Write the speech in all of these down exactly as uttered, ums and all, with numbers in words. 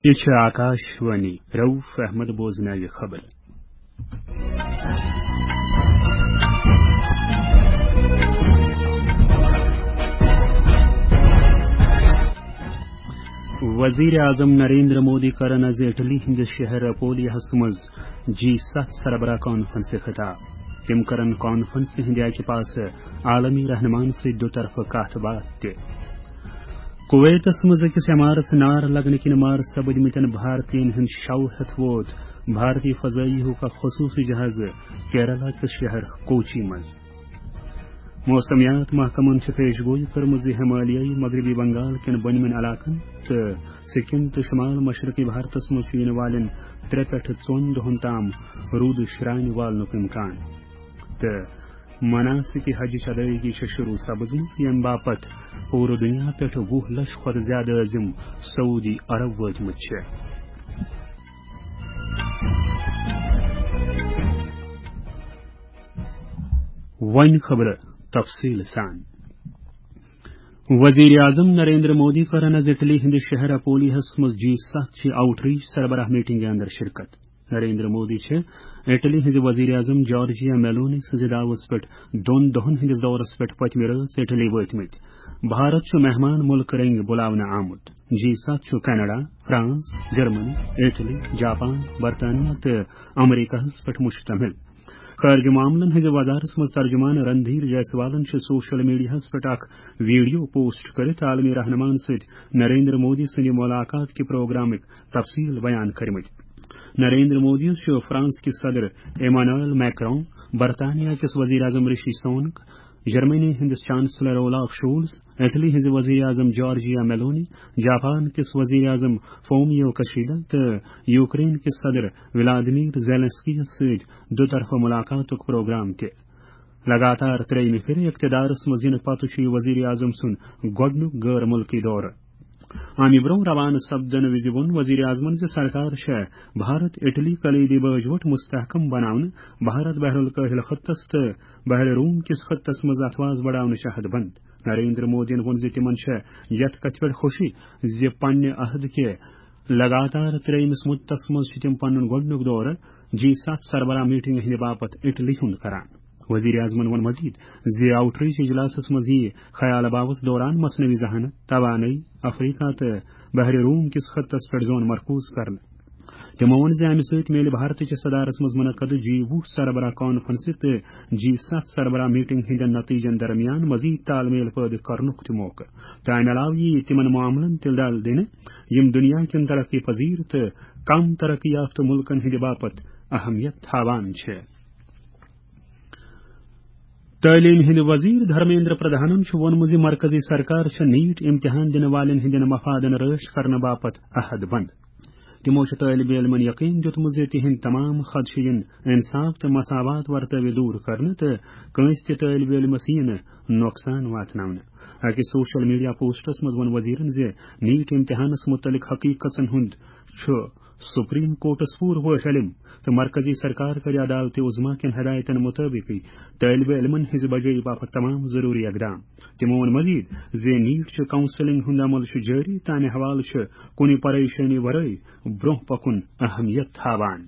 یہِ چھِ آکاش وانی۔ رؤف احمد بوزناوِ خبر۔ وزیر اعظم نریندر مودی کرن از اٹلی ہندس شہر اپولیاہس منٛز جی ستھ سربراہ کانفرنسہِ خطاب۔ تِم کرن کانفرنسہِ ہندِ اکہِ پاسہٕ عالمی رہنمان سۭتۍ دو طرفہٕ کتھ باتھ تہِ۔ کویتس منٛز أکِس عمارژ نار لگنہٕ کِنۍ مارٕ سپٕدمٕتٮ۪ن بھارتین ہُنٛد شو ہٮ۪تھ ووت بھارتی فضٲیی ہُک اکھ خصوٗصی جہاز کیرلا کِس شہر کوچی منٛز۔ موسمیات محکمن چھِ پیش گویی کٔرمٕژ زِ ہمالیٲیی مغربی بنگال کٮ۪ن بۄنمٮ۪ن علاقن تہٕ سکم تہٕ شمال مشرقی بھارتس منٛز چھُ یِنہٕ والٮ۪ن ترٛےٚ پٮ۪ٹھٕ ژۄن دۄہن تام روٗدٕ شرٛانہِ والنُک امکان۔ تہٕ مناسک حجٕچ ادائیگی چھےٚ شروع سپٕزمٕژ، ییٚمہِ باپتھ پوٗرٕ دُنیا پٮ۪ٹھ وُہ لچھ کھۄتہٕ زیادٕ عٲزم سعودی عرب وٲتمٕتۍ چھِ۔ وۄنۍ خبرٕ تفصیٖل سان۔ وزیر اعظم نریندر مودی کرن از اٹلی ہندِ شہر اپولیہس منٛز جی ستھ چہِ آؤٹ ریچ سربراہ میٹنگہِ اندر شرکت۔ نریندر مودی چھِ اٹلی ہٕنٛزِ وزیر اعظم جارجیا میلونی سٕنٛزِ دعوس پٮ۪ٹھ دۄن دۄہن ہٕنٛدِس دورس پٮ۪ٹھ پٔتمہِ رٲژ اٹلی وٲتمٕتۍ۔ بھارت چھُ مہمان مُلکہٕ رٔنگۍ بُلاونہٕ آمُت۔ جی ستھ چھُ Canada, France, Germany, Italy, Japan, برطانیہ تہٕ امریکہس پٮ۪ٹھ مشتمل۔ خارجہ معاملن ہٕنٛزِ وزارتس منٛز ترجمان رندھیر جیسوالن چھِ سوشل میڈیاہس پٮ۪ٹھ اکھ ویڈیو پوسٹ کٔرِتھ عالمی رہنمان سۭتۍ نریندر مودی سٕنٛدِ ملاقات کہِ پروگرامٕکۍ تفصیل بیان کٔرمٕتۍ۔ نریندر مودی چھُ فرانس کِس صدر ایمانوئل میکرون، برطانیہ کِس وزیر اعظم رشی سونک، جرمنی ہٕنٛدِس چانسلر اولاف شولز، اٹلی ہٕنٛزِ وزیر اعظم جارجیا میلونی، جاپان کِس وزیر اعظم فومیو کشیدا تہٕ یوکرین کِس صدر ولادیمیر زیلنسکی یَس سۭتۍ دو طرفہ ملاقاتُک پروگرام تہِ۔ لگاتار ترٛیٚیِمہِ پھِرِ اقتدارس منٛز یِنہٕ پتہٕ چھُ یہِ وزیر اعظم سُنٛد گۄڈٕنیُک غٲر مُلکی دورٕ۔ امہِ برٛونٛہہ روانہٕ سپدن وِزِ ووٚن وزیر اعظمن زِ سرکار چھےٚ بھارت اٹلی کلیدی باجوٹ مستحکم بناونہٕ، بھارت بحر الکاہل خطس تہٕ بحر روم کِس خطس منٛز اتھواز بڑاونٕچ عہد بند۔ نریندر مودیَن ووٚن زِ تِمن چھےٚ یتھ کتھِ پٮ۪ٹھ خوشی زِ پننہِ عہد کہِ لگاتار ترٛیٚیمِس مُدتس منٛز چھِ تِم پنُن گۄڈٕنیُک دورٕ جی ستھ سربراہ میٹنگ ہٕنٛدِ باپتھ اٹلی ہُنٛد کران۔ وزیر اعظمن ووٚن مزید زِ آؤٹ ریچ اجلاسس منٛز یِیہِ خیال باوس دوران مصنوعی ذہانت، توانٲیی، افریقہ تہٕ بحر روم کِس خطس پٮ۪ٹھ زون مرکوز کرنہٕ۔ تِمو ووٚن زِ امہِ سۭتۍ میلہِ بھارتٕچ صدارتس منٛز منعقد جی وُہ سربراہ کانفرنسہِ تہٕ جی ستھ سربراہ میٹنگ ہٕنٛدٮ۪ن نتیجن درمیان مزید تال میل پٲدٕ کرنُک تہِ موقعہٕ۔ تہٕ امہِ علاوٕ یِیہِ تِمن معاملن تہِ ڈل دِنہٕ، یِم دُنیا کٮ۪ن ترقی پذیر تہٕ کم ترقی یافتہٕ مُلکن ہٕنٛدِ باپتھ اہمیت تھاوان چھِ۔ تعلیٖم ہٕنٛدِ وزیر دھرمیندر پردھانن چھُ ووٚنمُت زِ مرکزی سرکار چھےٚ نیٹ امتحان دِنہٕ والٮ۪ن ہٕنٛدٮ۪ن مفادن رٲچھ کرنہٕ باپتھ عہد بند۔ تِمو چھُ طٲلبِ علمن یقین دیُتمُت زِ تِہنٛدۍ تمام خدشہٕ یِن انصاف تہٕ مساوات ورتٲوِتھ دوٗر کرنہٕ تہٕ کٲنٛسہِ تہِ طٲلبِ علمس یِیہِ نہٕ نۄقصان واتناونہٕ۔ أکِس سوشل میڈیا پوسٹس منٛز ووٚن وزیرن زِ نیٹ امتحانس مُتعلق حقیقژن ہُنٛد چھُ سپریم کورٹس پوٗرٕ پٲٹھۍ علم تہٕ مرکزی سرکار کرِ عدالت عظمیٰ کٮ۪ن ہدایتن مطٲبقٕے طٲلبِ علمن ہٕنٛزِ بجٲیی باپتھ تمام ضروٗری اقدام۔ تِمو ووٚن مزید زِ نیٹ چہِ کاؤنسلنگ ہُنٛد عمل چھُ جٲری تہٕ امہِ حوالہٕ چھُ کُنہِ پریشٲنی ورٲے برٛونٛہہ پکُن اہمیت تھاوان۔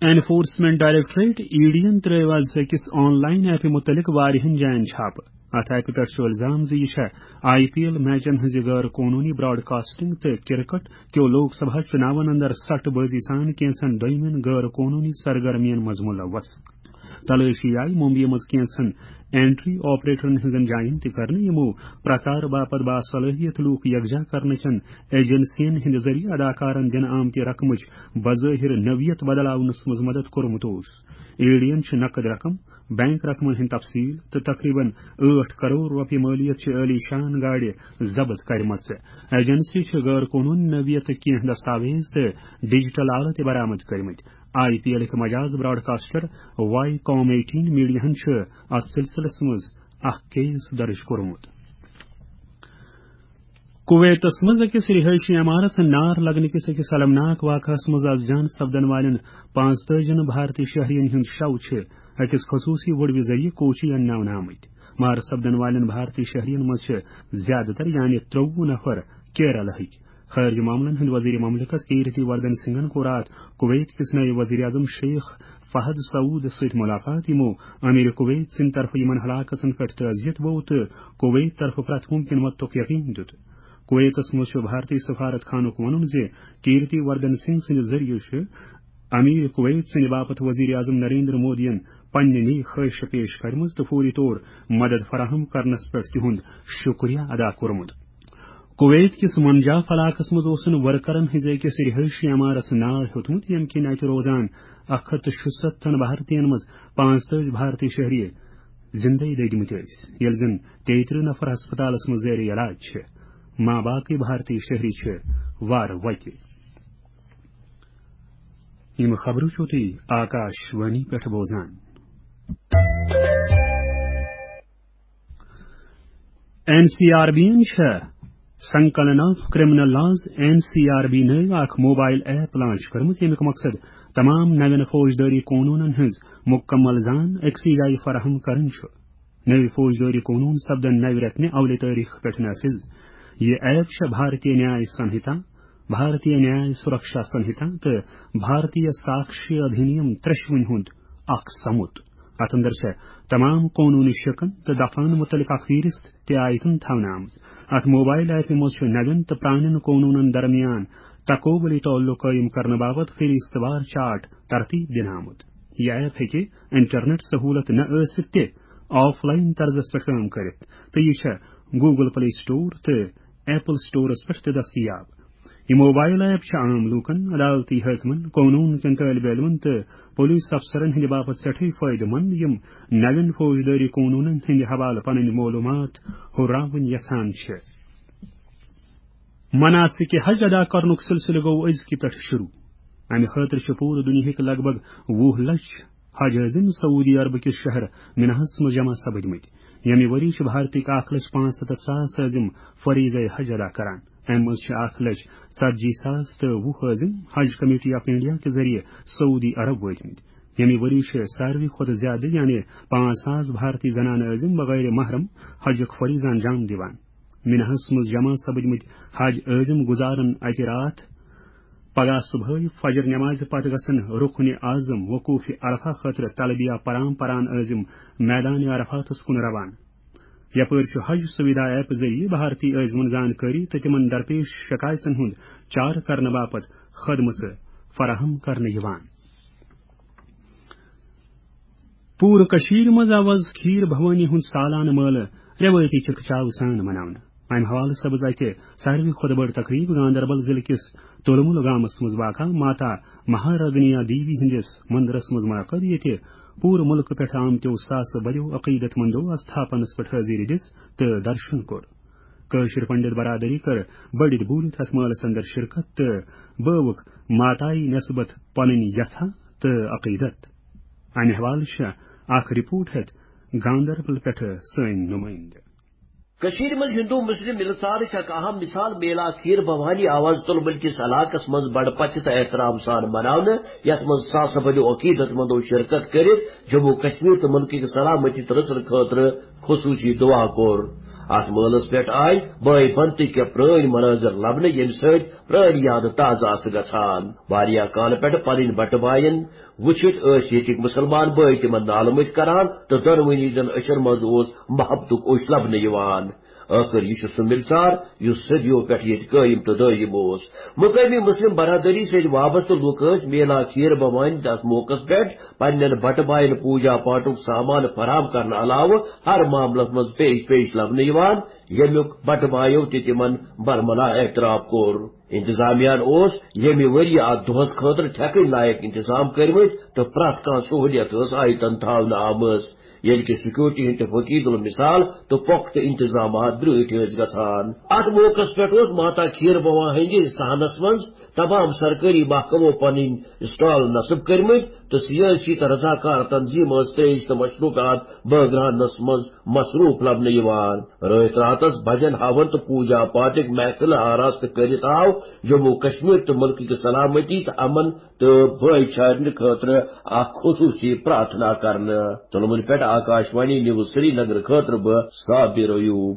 انفورسمنٹ ڈائریکٹوریٹ، ای ڈی ین ترٲو آز أکِس آن لائن ایپہِ مُتعلق واریاہن جاین چھاپہٕ۔ اتھ ایپہِ پٮ۪ٹھ چھُ الزام زِ یہِ چھےٚ آئی پی ایل میچن ہٕنٛزِ غٲر قونوٗنی براڈ کاسٹنگ تہٕ کرکٹ کیو لوک سبھا چُناون اندر سٹہٕ بٲزی سان کینٛژن دوٚیمٮ۪ن غٲر قونوٗنی سرگرمین منٛز ملوث۔ تلٲشی آیہِ ممبیہِ منٛز کینٛژن انٹری آپریٹرن ہٕنٛزن جاین تہِ کرنہٕ، یِمو پرچار باپتھ باصلٲحیت لوٗکھ یکجا کرنہٕ چٮ۪ن ایجنسین ہٕنٛدِ ذٔریعہٕ اداکارن دِنہٕ آمتہِ رقمٕچ بظٲہر نوعیت بدلاونس منٛز مدد کوٚرمُت اوس۔ ای ڈی ین چھِ نقد رقم، بینک رقمن ہٕنٛدۍ تفصیل تہٕ تقریباً ٲٹھ کرور رۄپیہِ مٲلیت چہِ عٲلی شان گاڑِ ضبط کرِمژٕ۔ ایجنسی چھِ غٲر قونوٗنی نوعیتٕکۍ کینٛہہ دستاویز تہٕ ڈیجیٹل آلہٕ تہِ برآمد کٔرمٕتۍ۔ آئی پی ایلٕکۍ مجاز براڈکاسٹر وائی کام ایٹین میڈیاہن چھُ اتھ سلسلس منٛز اکھ کیس درج کوٚرمُت۔ کویتس منٛز أکِس رہٲیشی عمارژ نار لگنہٕ کِس أکِس المناک واقعس منٛز از جان سپدن والٮ۪ن پانٛژتٲجِن بھارتی شہرین ہُنٛد شو چھِ أکِس خصوٗصی وُڈوِ ذٔریعہٕ کوچی انناونہٕ آمٕتۍ۔ مارٕ سپدن والٮ۪ن بھارتی شہرین منٛز چھِ زیادٕ تر، یعنی ترٛوٚوُہ نفر، کیرلہٕکۍ۔ خارجہ معاملن ہٕنٛدۍ وزیر مملکت کیرتی وردن سنگھن کوٚر راتھ کویت کِس نٔوۍ وزیر اعظم شیخ فہد سعود سۭتۍ ملاقات، یِمو امیر کویت سٕنٛدِ طرفہٕ یِمن ہلاکژن پٮ۪ٹھ تعزیت بوو تہٕ کویت طرفہٕ پرٛٮ۪تھ ممکن مدتُک یقین دیُت۔ کویتس منٛز چھُ بھارتی سفارت خانُک وَنُن زِ کیرتی وردن سنگھ سٕنٛدِ ذٔریعہٕ چھُ امیر کویت سٕنٛدِ باپتھ وزیر اعظم نریندر مودیَن پننہِ نیک خواہشہٕ پیش کرمٕژ تہٕ فوری طور مدد فراہم کرنس پٮ۪ٹھ تِہُنٛد شکریہ ادا کوٚرمُت۔ کویت کِس منجاف علاقس منٛز اوسُن ورکرن ہٕنٛزِ أکِس رہٲیشی عمارس نار ہیوٚتمُت، ییٚمہِ کِنۍ اتہِ روزان اکھ ہتھ تہٕ شُستتھن بھارتین منٛز پانٛژتٲجی بھارتی شہری زندے دٔدمٕتۍ ٲسۍ، ییٚلہِ زن تیٚیہِ ترٕٛہ نفر ہسپتالس منٛز زیر علاج چھِ۔ ما باقٕے بھارتی شہری چھِ وارٕ وتہِ۔ یِم خبرٕ چھِو تُہۍ آکاش وانی پٮ۪ٹھ بوزان۔ این سی آر بی یَن چھےٚ سنکلن of criminal laws, N C R B, نٔو اکھ موبائل ایپ لانچ کٔرمٕژ، ییٚمیُک مقصد تمام نوٮ۪ن فوجدٲری قونوٗنن ہٕنٛز مکمل زان أکسٕے جایہِ فراہم کرٕنۍ چھُ۔ نٔوۍ فوجدٲری قونوٗن سپدن نوِ رٮ۪تہٕ اولہِ تٲریخ پٮ۪ٹھ نافذ۔ یہِ ایپ چھےٚ بھارتیہ نیاے سنہتا، بھارتیہ نیاے سرکشا سنہتا تہٕ بھارتیہ ساکشی ادھینیم ترٛٮ۪شوٕنی ہُنٛد اکھ سمُت۔ اتھ اندر چھےٚ تمام قونوٗنی شقن تہٕ دفعن متعلق اکھ فہرست تہِ آیتن تھاونہٕ آمٕژ۔ اتھ موبائل ایپہِ منٛز چھُ نوٮ۪ن تہٕ پرٛانٮ۪ن قونوٗنن درمیان تقوبلی تعلق قٲیِم کرنہٕ باپتھ فہرست وار چارٹ ترتیب دِنہٕ آمُت۔ یہِ ایپ ہیٚکہِ انٹرنیٹ سہولت نہ ٲسِتھ تہِ آف لائن طرزس پٮ۪ٹھ کٲم کٔرِتھ، تہٕ یہِ چھےٚ گوگل پلے سٹور تہٕ ایپل سٹورس پٮ۪ٹھ تہِ دٔستیاب۔ یہِ موبائل ایپ چھِ عام لوٗکن، عدالتی حٲکمن، قونوٗن کٮ۪ن طٲلبہِ علمن تہٕ پولیس افسرن ہٕنٛدِ باپتھ سٮ۪ٹھٕے فٲیدٕ مند، یِم نوٮ۪ن فوجدٲری قونوٗنن ہٕنٛدِ حوالہٕ پنٕنۍ معلوٗمات ہُراوٕنۍ یژھان چھِ۔ مناسک حج ادا کرنُک سلسلہٕ گوٚو أزکہِ پٮ۪ٹھ شروع۔ امہِ خٲطرٕ چھِ پوٗرٕ دُنیاہٕکۍ لگ بھگ وُہ لچھ حج عٲزم سعودی عرب کِس شہر مناہس منٛز جمع سپدمٕتۍ۔ ییٚمہِ ؤری چھِ بھارتٕکۍ اکھ لچھ پانٛژھ ستتھ ساس عٲزم فریضہ حج ادا کران۔ امہِ منٛز چھِ اکھ لچھ ژتجی ساس تہٕ وُہ عٲزم حج کمیٹی آف انڈیا کہِ ذٔریعہٕ سعودی عرب وٲتمٕتۍ۔ ییٚمہِ ؤری چھِ ساروی کھۄتہٕ زیادٕ، یعنی پانٛژھ ساس بھارتی زنانہٕ عٲزم بغیر محرم حجُک فریضہ انجام دِوان۔ مناہس منٛز جمع سپدمٕتۍ حج عٲزم گُزارن اتہِ راتھ۔ پگاہ صبحٲے فجر نمازِ پتہٕ گژھن رکن اعظم وقوف عرفہ خٲطرٕ تلبیہ پران پران عٲزم میدان عرفاتس کُن روانہٕ۔ یپٲرۍ چھُ حج سویدھا ایپ ذٔریعہٕ بھارتی عٲزمن زانکٲری تہٕ تِمن درپیش شکایژن ہُنٛد چارٕ کرنہٕ باپتھ خدمژٕ فراہم کرنہٕ یِوان۔ پوٗرٕ کٔشیٖرِ منٛز آو آز کھیٖر بھوانی ہُنٛد سالانہٕ مٲلہٕ رٮ۪وٲیتی چِکہٕ چاوٕ سان مناونہٕ۔ امہِ حوالہٕ سپٕز اتہِ ساروی کھۄتہٕ بٔڑ تقریٖب گاندربل ضلعہٕ کِس تُلمُل گامس منٛز واقع ماتا مہارگنیا دیوی ہٕنٛدِس مندرس منٛز منعقد، ییٚتہِ پوٗرٕ مُلکہٕ پٮ۪ٹھ آمتیو ساسہٕ بٔدیو عقیدت مندو آستھاپنس پٮ۪ٹھ حٲضری دِژ تہٕ درشن کوٚر۔ کٲشِر پنڈت برادری کٔر بٔڑِتھ بوٗلِتھ اتھ مٲلس اندر شرکت تہٕ بٲوٕکھ ماتایہِ نسبت پنٕنۍ یژھا تہٕ عقیدت۔ امہِ حوالہٕ چھےٚ اکھ رپورٹ ہٮ۪تھ گاندربل پٮ۪ٹھٕ سٲنۍ نُمٲیندٕ۔ کٔشیٖرِ منٛز ہندو مسلم ملژارٕچ اکھ اہم مثال میلا کھیٖر بھوانی آو آز تُلمُل کِس علاقس منٛز بڑٕ پژھِ تہٕ احترام سان مناونہٕ، یتھ منٛز ساسہٕ بٔدیو عقیدت مندو شرکت کٔرِتھ جموں کشمیر تہٕ مُلکہٕ کہِ سلامتی تہٕ رٕژن خٲطرٕ خصوصی دعا کوٚر۔ اتھ مٲلس پٮ۪ٹھ آیہِ بٲے بنتٕکۍ کینٛہہ پرٲنۍ مناظر لبنہٕ، ییٚمہِ سۭتۍ پرٲنۍ یادٕ تازٕ آسہٕ گژھان۔ واریاہ کالہٕ پٮ۪ٹھٕ پنٕنۍ بٹہٕ باین وُچھِتھ ٲسۍ ییٚتِکۍ مُسلمان بٲے تِمن نالہٕ مٔتۍ کران تہٕ دۄنوٕنی زن أچھن منٛز اوس محبتُک اوٚش لبنہٕ یِوان۔ ٲخٕر یہِ چھُ سُہ مِلژار یُس صدیو پٮ۪ٹھ ییٚتہِ قٲیِم تہٕ دٲیِم اوس۔ مُقٲمی مُسلِم برادٔری سۭتۍ وابستہٕ لُکھ ٲسۍ میلا کھیٖر بھوانی تہٕ اَتھ موقعس پٮ۪ٹھ پننٮ۪ن بٹہٕ باین پوٗجا پاٹھُک سامان فراہم کرنہٕ علاوٕ ہر معاملس منٛز پیش پیش لبنہٕ یِوان، ییٚمیُک بٹہٕ بایو تہِ تِمن برملا اعتراف کوٚر۔ انتظامیہ ہن اوس ییٚمہِ ؤرۍ یہِ اتھ دۄہس خٲطرٕ ٹھیکٕنۍ لایق انتظام کٔرمٕتۍ تہٕ پرٛٮ۪تھ کانٛہہ سہوٗلیت ٲس آیتن تھاونہٕ آمٕژ، ییٚلہِ کہِ سیکورٹی ہٕنٛدۍ تہٕ فقیٖد المثال تہٕ پۄختہٕ انتظامات برٛٲٹھۍ ٲسۍ گژھان۔ اتھ موقعس پٮ۪ٹھ اوس ماتا کھیٖر بھوانی ہٕنٛدِ صحنس منٛز تمام سرکٲری محکمو پنٕنۍ اسٹال نصب کٔرمٕتۍ تہٕ سیٲسی تہٕ رضاکار تنظیٖم ٲس ترٛیش تہٕ مشروبات بٲگراونس منٛز مصروٗف لبنہٕ یِوان۔ رٲتۍ راتس بجن ہاون تہٕ پوٗجا پاٹھٕکۍ محفلہٕ آراستہٕ کٔرِتھ آو جموں کشمیر تہٕ مُلکہٕ کہِ سلامتی تہٕ امن تہٕ بٲے چارنہٕ خٲطرٕ اکھ خصوٗصی پرارتھنا کرنہٕ۔ تُلمُلہِ پٮ۪ٹھ آکاش وانی نیوز سری نگر خٲطرٕ بہٕ صابر ایوب۔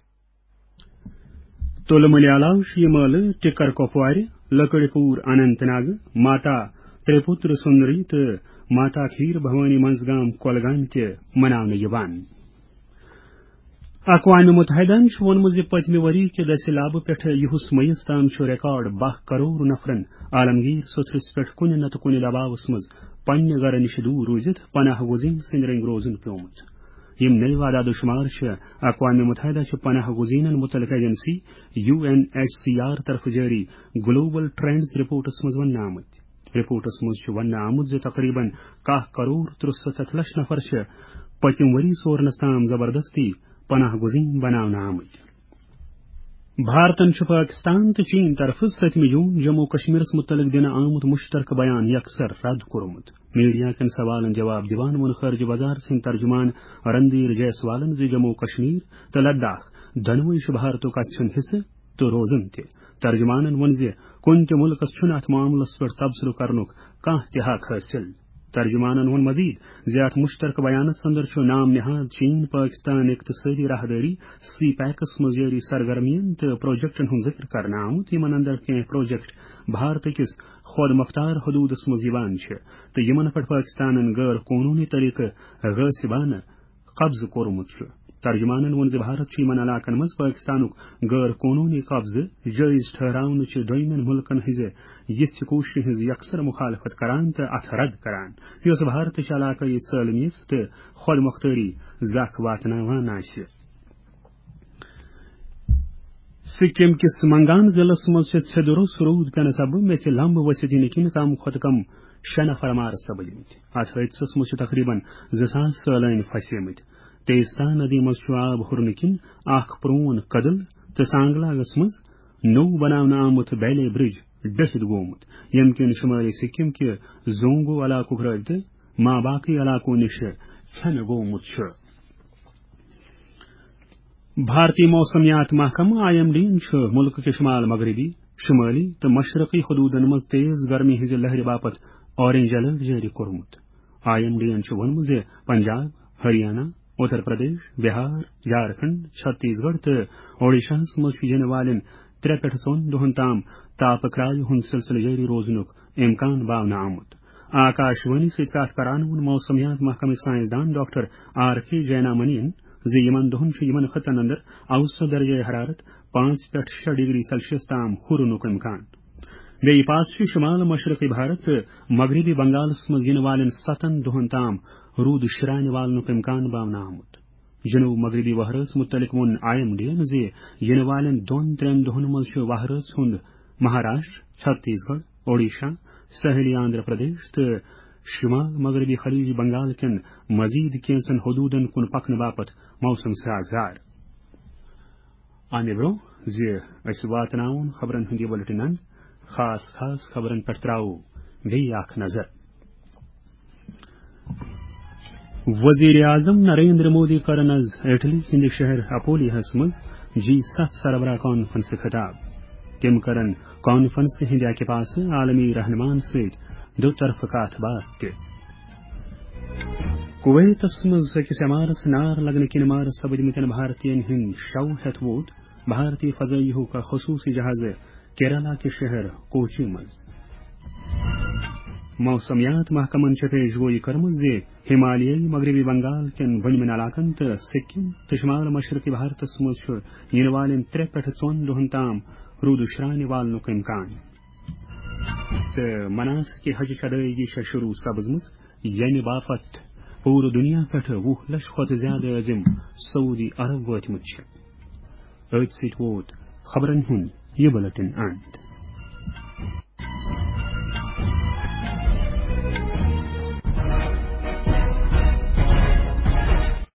تُلہٕ مُلہِ علاوٕ چھُ یہِ مٲلہٕ ٹِکر کۄپوارِ، لٔکٕڑِ پوٗر اننت ناگہٕ، ماتا ترٛےٚ پُتر سُنری تہٕ ماتا کھیٖر بھوانی منٛزگام کۄلگامہِ تہِ مناونہٕ یِوان۔ اقوام متحدہَن چھُ ووٚنمُت زِ پٔتمہِ ؤری کہِ دٔسِلابہٕ پٮ۪ٹھٕ یُہُس مئیِس تام چھُ ریکارڈ باہ کرور نفرن عالمگیر سوٚتھرِس پٮ۪ٹھ کُنہِ نتہٕ کُنہِ دباوس منٛز پننہِ گرٕ نِش دوٗر روٗزِتھ پناہ گزین سٕنٛدۍ رٔنگۍ روزُن پیومُت۔ یِم نٔوۍ اعداد و شمار چھِ اقوام متحدہ چہِ پناہ گزینن متعلق agency U N H C R طرفہٕ جٲری گلوبل ٹرینڈز رپورٹس منٛز وننہٕ آمٕتۍ۔ رپورٹس منٛز چھُ وننہٕ آمُت زِ تقریباً کاہ کرور ترٛسَتتھ لچھ نفر چھِ پٔتِم ؤری سورنس تام زبردستی پناہ گزین بناونہٕ آمٕتۍ۔ بھارتن چھُ پٲکستان تہٕ چین طرفہٕ سٔتمہِ جوٗن جموں کشمیرس مُتعلق دِنہٕ آمُت مُشترکہٕ بیان یکسر رد کوٚرمُت۔ میڈیا کٮ۪ن سوالن جواب دِوان ووٚن خارجہ وزارت سٕنٛدۍ ترجمان رندھیر جیسوالن زِ جموں کشمیر تہٕ لداخ دۄنوَے چھِ بھارتُک اَژھُن حصہٕ تہٕ روزُن تہِ۔ ترجمانن ووٚن زِ کُنہِ تہِ مُلکس چھُنہٕ اَتھ معاملس پٮ۪ٹھ تبصرٕ کرنُک کانٛہہ تہِ حق حٲصِل۔ ترجمانن ووٚن مزید زِ اَتھ مُشترکہٕ بیانس اندر چھُ نام نہاد چین پٲکستان اقتصٲدی راہدٲری سی پیکس منٛز جٲری سرگرمین تہٕ پروجیکٹن ہُنٛد ذِکر کرنہٕ آمُت، یِمن اندر کینٛہہ پروجیکٹ بھارت کِس خۄد مۄختار حدوٗدس منٛز یِوان چھِ تہٕ یِمن پٮ۪ٹھ پٲکستانن غٲر قونوٗنی طریقہٕ غٲصبانہٕ قبضہٕ کوٚرمُت چھُ۔ ترجمانن ووٚن زِ بھارت چھُ یِمن علاقن منٛز پٲکستانُک غٲر قونوٗنی قبضہٕ جٲیز ٹھہراونہٕ چہِ دوٚیمٮ۪ن مُلکن ہٕنٛزِ یِژھِ کوٗششہِ ہٕنٛز یکسر مخالفت کران تہٕ اتھ رد کران، یۄس بھارتٕچ علاقٲیی سٲلمیت تہٕ خۄد مۄختٲری زکھ واتناوان آسہِ۔ سکم کِس منگان ضلعس منٛز چھِ سیٚدٕ روٚس روٗد پٮ۪نہٕ سببہٕ میٚژِ لمبہٕ ؤسِتھ یِنہٕ کِنۍ کم کھۄتہٕ کم شےٚ نفر مارٕ سپٕدمٕتۍ۔ اتھ حٲدثس منٛز چھِ تقریباً زٕ ساس سٲلٲنۍ پھسیمٕتۍ۔ تیستا ندی منٛز چھُ آب ہُرنہٕ کِنۍ اکھ پرون کدل تہٕ سانگلاگس منٛز نوٚو بناونہٕ آمُت بیلے برج ڈٔٹھِتھ گوٚمُت، ییٚمہِ کِنۍ شمٲلی سکم کہِ زونگو علاقُک رٲبطہٕ ما باقٕے علاقو نِش ژھٮ۪نہٕ گوٚمُت چھُ۔ بھارتی موسمیات محکمہٕ، آئی ایم ڈی یَن چھُ مُلکہٕ کہِ شمال مغربی، شمٲلی تہٕ مشرقی حدوٗدن منٛز تیز گرمی ہٕنٛزِ لہرِ باپتھ اورنج الرٹ جٲری کوٚرمُت۔ آئی ایم ڈی یَن چھُ ووٚنمُت زِ پنجاب، ہریانہ، اتر پردیش، بہار، جھارکھنڈ، چھتیس گڑھ تہٕ اوڈیشاہَس منٛز چھُ یِنہٕ والٮ۪ن ترٛےٚ پٮ۪ٹھ ژۄن دۄہَن تام تاپہٕ کرٛاے ہُنٛد سلسلہٕ جٲری روزنُک امکان باونہٕ آمُت۔ آکاش وانی سۭتۍ کتھ کران ووٚن موسمیات محکمٕکۍ سائنسدان ڈاکٹر آر کے جینا منی یَن زِ یِمن دۄہن چھُ یِمن خطن اندر اوسط درجہ حرارت پانٛژھ پٮ۪ٹھ شےٚ ڈگری سیلسیس تام ہُرنُک امکان۔ بیٚیہِ پاس چھُ شمال مشرقی بھارت تہٕ مغربی بنگالس منٛز یِنہٕ والٮ۪ن ستن دۄہن تام روٗد شرانہِ والنُک امکان باونہٕ آمُت۔ جنوب مغربی وہرٲژ مُتعلق ووٚن آئی ایم ڈی یَن زِ یِنہٕ والٮ۪ن دۄن ترٛٮ۪ن دۄہن منٛز چھُ وہرٲژ ہُنٛد مہاراشٹر، چھتیس گڑھ، اوڈیشہ، ساحلی آندھرا پردیش تہٕ شمال مغربی خلیج بنگال کٮ۪ن مزید کینژن حدودن کُن پکنہٕ باپتھ موسم سازگار۔ امہِ برونٛہہ زِ أسۍ واتناوون خبرن ہُنٛد یہِ بُلٹن اند، خاص خاص خبرن پٮ۪ٹھ تراوو بیٚیہِ اکھ نظر۔ وزیر اعظم نریندر مودی کَرَن آز اٹلی ہٕنٛدِ شہر اپولیاہَس منٛز جی ستھ سربراہ کانفرنسہِ خطاب۔ تِم کَرَن کانفرنسہِ ہٕنٛدِ اَکہِ پاسہٕ عالمی رہنماہَن سۭتۍ دو طرفہٕ کَتھ باتھ تہِ۔ کویتَس منٛز أکِس عمارس نار لگنہٕ کِنۍ مارٕ سپٕدمٕتٮ۪ن بھارتین ہُنٛد شو ہٮ۪تھ ووت بھارتی فضائیہُک اکھ خصوٗصی جہازٕ کیرالہ کہِ شہر کوچی منٛز۔ موسمیات محکمن چھےٚ پیش گویی کٔرمٕژ زِ ہمالیٲیی مغربی بنگال کٮ۪ن بٔنمٮ۪ن علاقن تہٕ سکم تہٕ شمال مشرقی بھارتس منٛز چھُ یِنہٕ والٮ۪ن ترٛےٚ پٮ۪ٹھٕ ژۄن دۄہن تام روٗدٕ شرٛانہِ والنُک امکان۔ تہٕ مناسکِ حجٕچ ادٲیگی چھےٚ شروٗع سپٕزمٕژ، ییٚمہِ باپتھ پوٗرٕ دُنیا پٮ۪ٹھٕ وُہ لچھ کھۄتہٕ زیادٕ عٲزِم سعودی عرب وٲتمٕتۍ چھِ۔ أتھۍ سۭتۍ ووت خبرن ہُنٛد یہِ بُلٹن اند۔